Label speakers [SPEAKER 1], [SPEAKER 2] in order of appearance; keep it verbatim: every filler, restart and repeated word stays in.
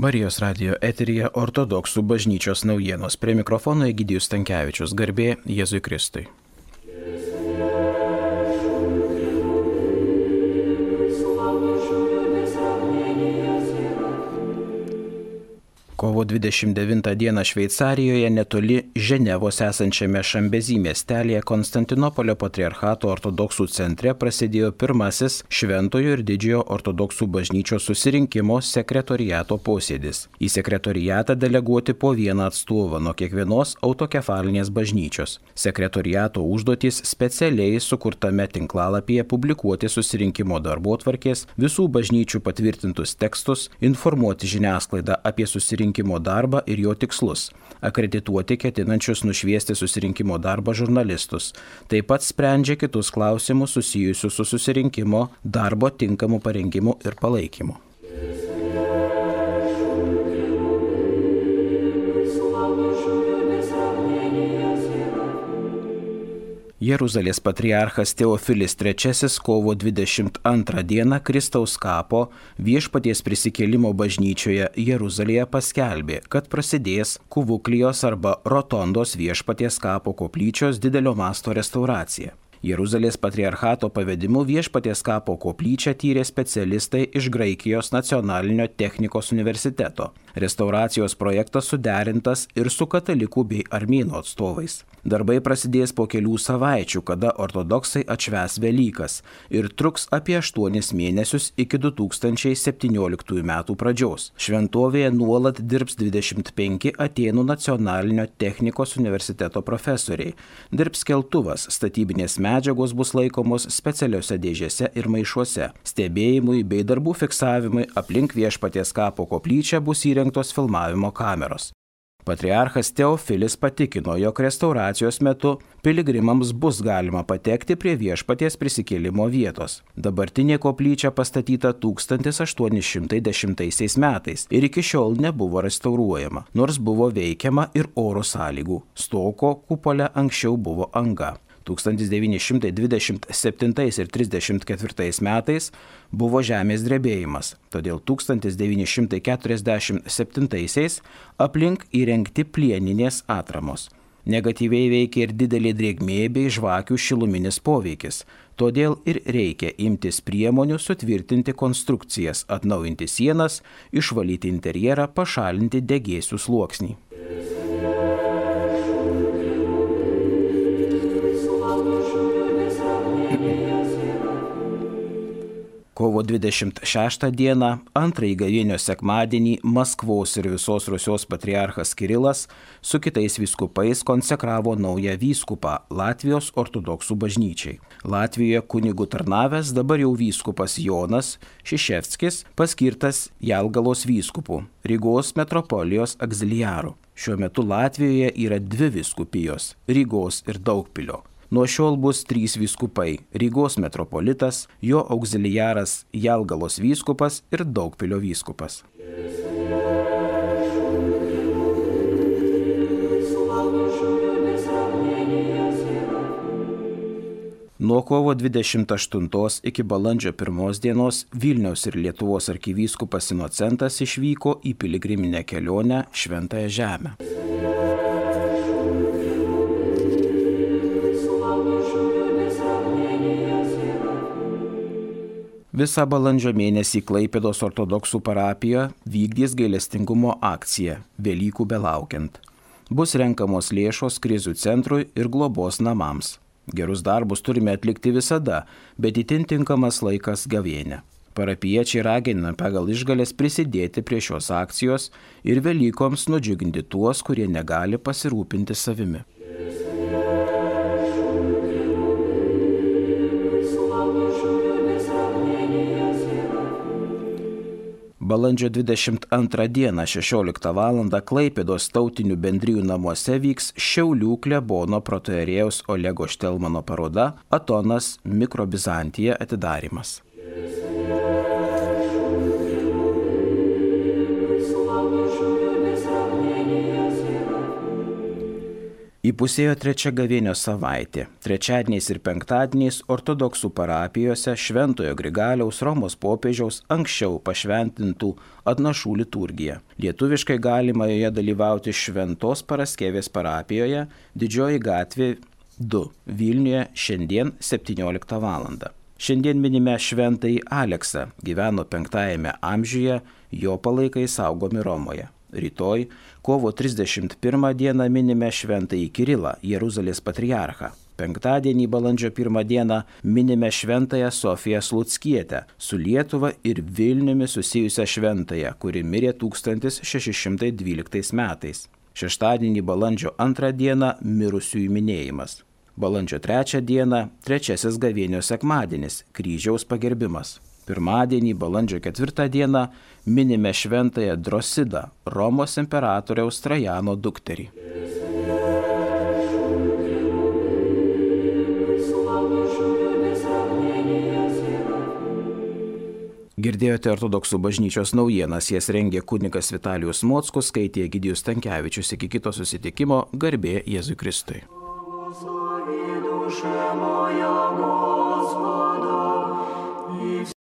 [SPEAKER 1] Marijos radijo eteryje ortodoksų bažnyčios naujienos. Prie mikrofono Egidijus Stankevičius. Garbė Jėzui Kristui. Kovo dvidešimt devintą dieną Šveicarijoje netoli Ženevos esančiame Šambezi miestelėje Konstantinopolio patriarchato ortodoksų centre prasidėjo pirmasis Šventojo ir Didžiojo ortodoksų bažnyčios susirinkimo sekretoriato posėdis. Į sekretoriatą deleguoti po vieną atstovą nuo kiekvienos autokefalinės bažnyčios. Sekretoriato užduotys specialiai sukurtame tinklalapyje publikuoti susirinkimo darbotvarkės, visų bažnyčių patvirtintus tekstus, informuoti žiniasklaidą apie susirinkimą darbą ir jo tikslus, akredituoti ketinančius nušviesti susirinkimo darbą žurnalistus. Taip pat sprendžia kitus klausimus susijusius su susirinkimo darbo tinkamu parengimu ir palaikymu. Jeruzalės patriarchas Teofilis trečiasis kovo dvidešimt antrą dieną Kristaus kapo Viešpaties prisikėlimo bažnyčioje Jeruzalėje paskelbė, kad prasidės Kuvuklijos arba Rotondos Viešpaties kapo koplyčios didelio masto restauracija. Jeruzalės patriarchato pavedimu Viešpaties kapo koplyčią tyrė specialistai iš Graikijos nacionalinio technikos universiteto. Restauracijos projektas suderintas ir su katalikų bei armėnų atstovais. Darbai prasidės po kelių savaičių, kada ortodoksai atšvęs Velykas ir truks apie aštuonis mėnesius iki du tūkstančiai septynioliktųjų metų pradžios. Šventovėje nuolat dirbs dvidešimt penki Atėnų nacionalinio technikos universiteto profesoriai. Dirbs keltuvas, statybinės medžiagos bus laikomos specialiuose dėžėse ir maišuose. Stebėjimui bei darbų fiksavimui aplink Viešpaties kapo koplyčią bus įrengtos filmavimo kameros. Patriarchas Teofilis patikino, jog restauracijos metu piligrimams bus galima patekti prie Viešpaties prisikėlimo vietos. Dabartinė koplyčia pastatyta tūkstantis aštuoni šimtai dešimtaisiais metais ir iki šiol nebuvo restauruojama, nors buvo veikiama ir oro sąlygų. Stoko kupole anksčiau buvo anga. tūkstantis devyni šimtai dvidešimt septintais ir trisdešimt ketvirtais metais buvo žemės drebėjimas, todėl tūkstantis devyni šimtai keturiasdešimt septintaisiais aplink įrengti plieninės atramos. Negatyviai veikia ir didelė drėgmė bei žvakių šiluminis poveikis, todėl ir reikia imtis priemonių sutvirtinti konstrukcijas, atnaujinti sienas, išvalyti interjerą, pašalinti degėsių sluoksnį. Kovo dvidešimt šeštą dieną, antrąjį gavėnios sekmadienį, Maskvos ir visos Rusios patriarchas Kirilas su kitais vyskupais konsekravo naują vyskupą Latvijos ortodoksų bažnyčiai. Latvijoje kunigų tarnavęs dabar jau vyskupas Jonas Šiševskis paskirtas Jelgalos vyskupu, Rygos metropolijos auxiliaru. Šiuo metu Latvijoje yra dvi vyskupijos – Rygos ir Daugpilio. Nuo šiol bus trys vyskupai – Rygos metropolitas, jo auxiliaras Jelgalos vyskupas ir Daugpilio vyskupas. Nuo kovo dvidešimt aštuntos iki balandžio pirmos dienos Vilniaus ir Lietuvos arkivyskupas Inocentas išvyko į piligriminę kelionę Šventąją Žemę. Visą balandžio mėnesį Klaipėdos ortodoksų parapija vykdys gailestingumo akciją Velykų belaukiant. Bus renkamos lėšos krizių centrui ir globos namams. Gerus darbus turime atlikti visada, bet itin tinkamas laikas gavėnia. Parapiečiai ragina pagal išgalės prisidėti prie šios akcijos ir Velykoms nudžiuginti tuos, kurie negali pasirūpinti savimi. Balandžio dvidešimt antrą dieną šešioliktą valandą Klaipėdos tautinių bendrijų namuose vyks Šiaulių klebono protoierėjaus Olego Štelmano paroda Atonas Mikrobizantija atidarymas. Įpusėjo trečia gavėnios savaitė. Trečiadieniais ir penktadieniais ortodoksų parapijose Šventojo Grigaliaus Romos popiežiaus anksčiau pašventintų atnašų liturgija. Lietuviškai galima joje dalyvauti Šventos Paraskevės parapijoje, Didžioji gatvė du Vilniuje šiandien septynioliktą valandą. Šiandien minime šventąjį Aleksą, gyveno penktajame amžiuje, jo palaikai saugomi Romoje. Rytoj, kovo trisdešimt pirmą dieną minime šventąjį Kirilą, Jeruzalės patriarchą. Penktadienį, balandžio pirmą dieną, minime šventąją Sofiją Sluckietę, su Lietuva ir Vilniumi susijusią šventąją, kuri mirė tūkstantis šeši šimtai dvyliktais metais. Šeštadienį, balandžio antrą dieną, mirusiųjų minėjimas. Balandžio trečią dieną, trečiasis gavėnios sekmadienis, kryžiaus pagerbimas. Pirmadienį, balandžio ketvirtą dieną, minime šventąją Drosidą, Romos imperatoriaus Trajano dukterį. Girdėjote ortodoksų bažnyčios naujienas, jas rengė kunigas Vitalijus Mockus, skaitė Egidijus Stankevičius. Iki kito susitikimo, garbė Jėzui Kristui.